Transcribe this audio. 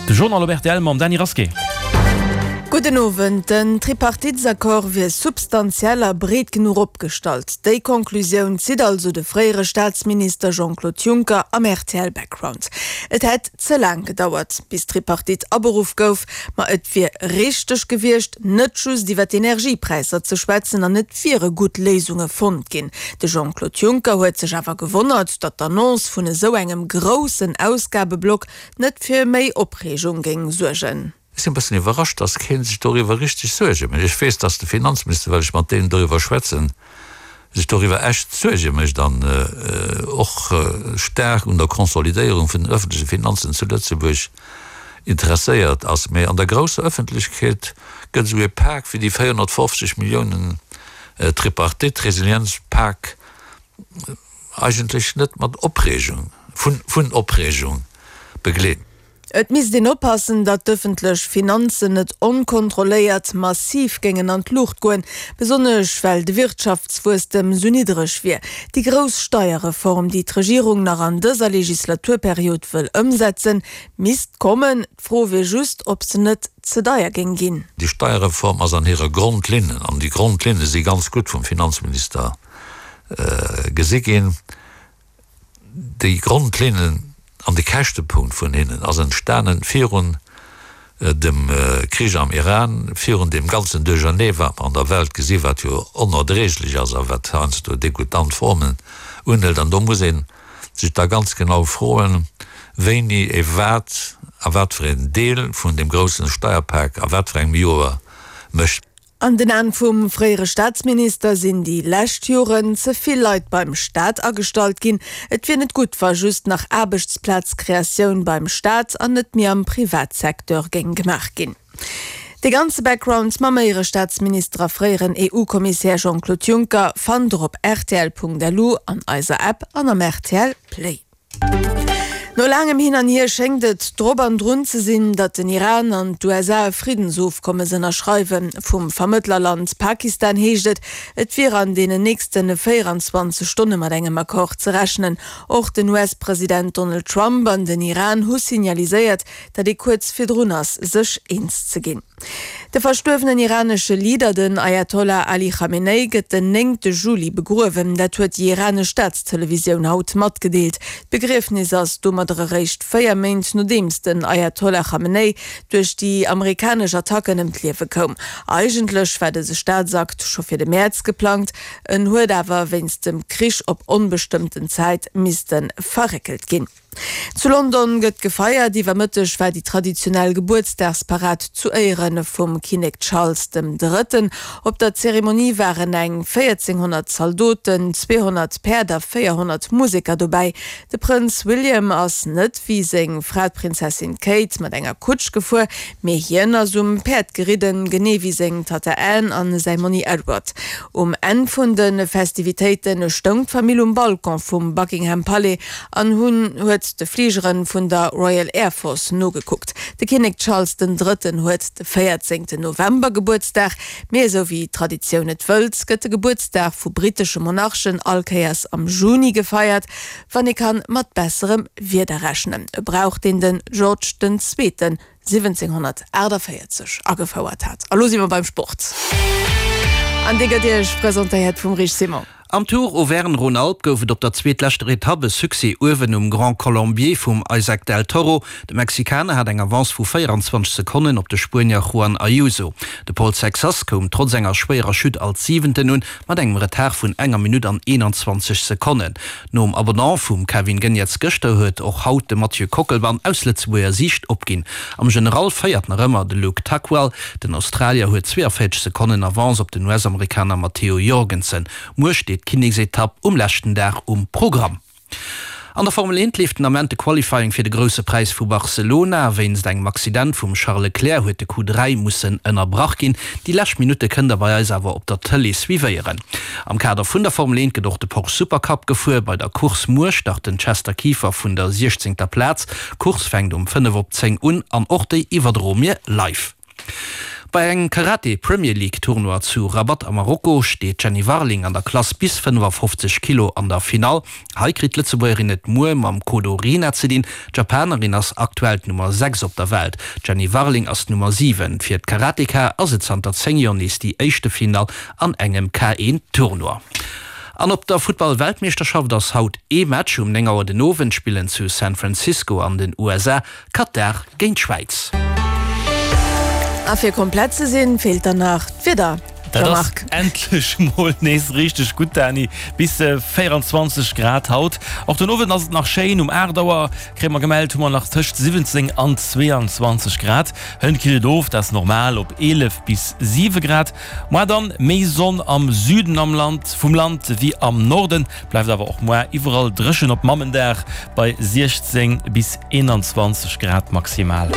De Journal op rtl mam Dany Rasqué. Gudden Owend. Den Tripartitesaccord wier substantiell a breet genuch opgestallt. Déi Conclusioun zitt also de fréiere Staatsminister Jean-Claude Juncker am rtl Background. Et hätt ze laang gedauert, bis d'Tripartite aberuff gouf, ma et wier richteg gewiescht, net just iwwer d'Energiepräisser ze schwätzen an et wiere gutt Léisunge fonnt ginn. De Jean-Claude Juncker huet sech awer gewonnert, datt d'Annonce vun esou engem groussen Ausgabeblock net fir méi Opreegung géing suergen. Ech sinn e bëssen iwwerrascht, datt kee sech doriwwer richteg Suerge mécht. Ech weess, datt de Finanzminister, well ech mat deenen doriwwer schwätzen, sech doriwwer echt Suerge mécht an och staark un der Konsolidéierung vun den öffentleche Finanzen zu Lëtzebuerg interesséiert ass. Mee an der grousser Öffentlechkeet gëtt esou e Pak wéi déi 450 Milliounen Tripartite, Resilienzpak, eigentlech net mat Opreegung, vun Opreegung begleet. Et misst een oppassen, datt d'ëffentlech Finanzen net onkontrolléiert massiv géingen an d'Luucht goen, besonnesch well de Wirtschaftswuesstem sou niddereg wier. Déi grouss Steierreform, déi d'Regierung nach an dëser Legislaturperiod wëll ëmsetzen, misst kommen. D'Fro wier just, ob se net ze deier géing ginn. Déi Steierreform ass an hire Grondlinnen, an déi Grondlinne si ganz gutt vum Finanzminister gesi ginn, Déi Grondlinnen an de Käschtepunkt vun hinnen ass entstanen virun dem Krich am Iran, virun deem ganzen Duerchernee wat mer an der Welt gesi wat jo onerdréiglech ass a wat heiansdo degoutant Formen unhëlt. An do muss ee sech da ganz genau froen, wéini ee wat a wat fir een Deel vun deem groussen Steierpak a wat fir engem Joer mécht. An den Aen vum fréiere Staatsminister sinn déi lescht Joren ze vill Leit beim Staat agestallt ginn. Et wier net gutt, wa just nach Aarbechtsplazkreatioun beim Staat an net méi am Privatsecteur géing gemaach ginn. De ganze Background mam Éierestaatsminister a fréieren EU-Kommissär Jean-Claude Juncker fannt der op rtl.lu, an eiser App an am rtl Play. No laangem Hin an Hier schéngt et drop an drun ze sinn, datt den Iran an d'USA e Friddensofkommes ënnerschreiwen. Vum Vermëttlerland Pakistan heescht et, et wier an deenen nächste 24 Stonne mat engem Accord ze rechnen. Och den US-President Donald Trump an den Iran hu signaliséiert, datt ee kuerz virdrun ass, sech eens ze ginn. De verstuerwenen iranesche Leader, den Ayatollah Ali Khamenei, gëtt den néngte Juli begruewen. Dat huet déi iranesch Staatstelevisioun haut matgedeelt. D'Begriefnis ass domadder eréischt 4 Méint nodeems den Ayatollah Khamenei duerch déi amerikanesch Attacken ëm d'Liewe koum. Eigentlech war dëse Staatsakt scho fir de Mäerz geplangt, en huet awer wéinst dem Krich op onbestëmmten Zäit misste verréckelt ginn. Zu London gëtt gefeiert. Iwwer Mëtteg war déi traditionell Gebuertsdagsparad zu Éiere vum Kinnek Charles dem Drëtten. Op der Zeremonie waren eng 1.400 Zaldoten, 200 Päerd a 400 Museker dobäi. De Prënz William ass net wéi seng Fra d'Prinzessin Kate mat enger Kutsch gefuer, mee hien ass um Päerd geridden, genee wéi seng Tatta Anne an säi Monni Edward. Um Enn vun de Festivitéite stoung d'Famill um Balcon vum Buckingham Palais an hunn huet de Fligeren vun der Royal Air Force nogekuckt. De Kinnek Charles den Drëtten huet de 14 November Gebuertsdag, mee esou wéi d'Traditioun et wëllt, gëtt de Gebuertsdag vu brittesche Monarchen all Kéiers am Juni gefeiert, wann ee kann mat besserem Wieder rechnen. E Brauch deen den George den Zweeten 1748 agefouert hat. A lo si mer beim Sport. An dee gëtt Iech presentéiert vum Rich Simon. Am Tour Auvergne-Rhône-Alpes gouf et op der zweetleschter Etapp e Succès uewen um Grand Colombier vum Isaac Del Toro. De Mexikaner hat eng Avance vu 24 Sekonnen op de Spuenier Juan Ayuso. De Paul Sexas koum trotz enger schwéierer Chute als Siwenten un, mat engem Retard vun enger Minutt an 21 Sekonnen. Nom Abandon vum Kevin Geniets gëschter huet och haut de Mathieu Kockelmann aus Lëtzebuerger Siicht opginn. Am General féiert nach ëmmer de Luke Tuckwell. Den Australier huet 42 Sekonnen Avance op den US-Amerikaner Matteo Jorgensen. Muer steet d'Kinneksetapp um leschten Dag um Programm. An der Formel 1 leeft den Ament de Qualifying fir de Grousse Präis vu Barcelona. Wéinst engem Accident vum Charles Leclerc huet de Q3 mussen ënnerbrach ginn. Déi lescht Minutte kënnt der bei eis awer op der Tëlee suivéieren. Am Kader vun der Formel 1 gëtt och de Porsche Supercup gefuer. Bei der Course muer start den Chester Kieffer vun der 16. Plaz. D'Course fänkt um 5 op 10 un an och déi iwwerdroe mir live. Bei engem Karate Premier League Tournoi zu Rabat a Marokko steet d'Jenny Warling an der Klass bis 55 Kilo an der Finall. Hei kritt d'Lëtzebuergerin et muer mam Kodo Rina ze dinn. D'Japanerin ass aktuell d'Nummer 6 op der Welt, d'Jenny Warling ass d'Nummer 7. Fir d'Karateka ass et zanter 10 Joer nees déi éischte Finall an engem K1 Tournoi. An op der Futtball-Weltmeeschterschaft ass haut ee Match. Um 9 Auer den Owend spillen zu San Francisco an den USA Katar géint d'Schwäiz. A fir komplett ze sinn, feelt dann nach d'Wieder, Dat ass Jean-Marc. endlech mol nees richteg gutt, Dani. Bis 24 Grad haut. Och den Owend ass et nach schéin. Um 8 Auer kréie mer gemellt, hu mer nach tëscht 17 an 22 Grad. Hënt killt et of, dat ass normal, op 11 bis 7 Grad. Moar dann méi Sonn am Süden am Land vum Land wéi am Norden, bleift awer och moar iwwerall dréchen op Mammendag bei 16 bis 21 Grad maximal.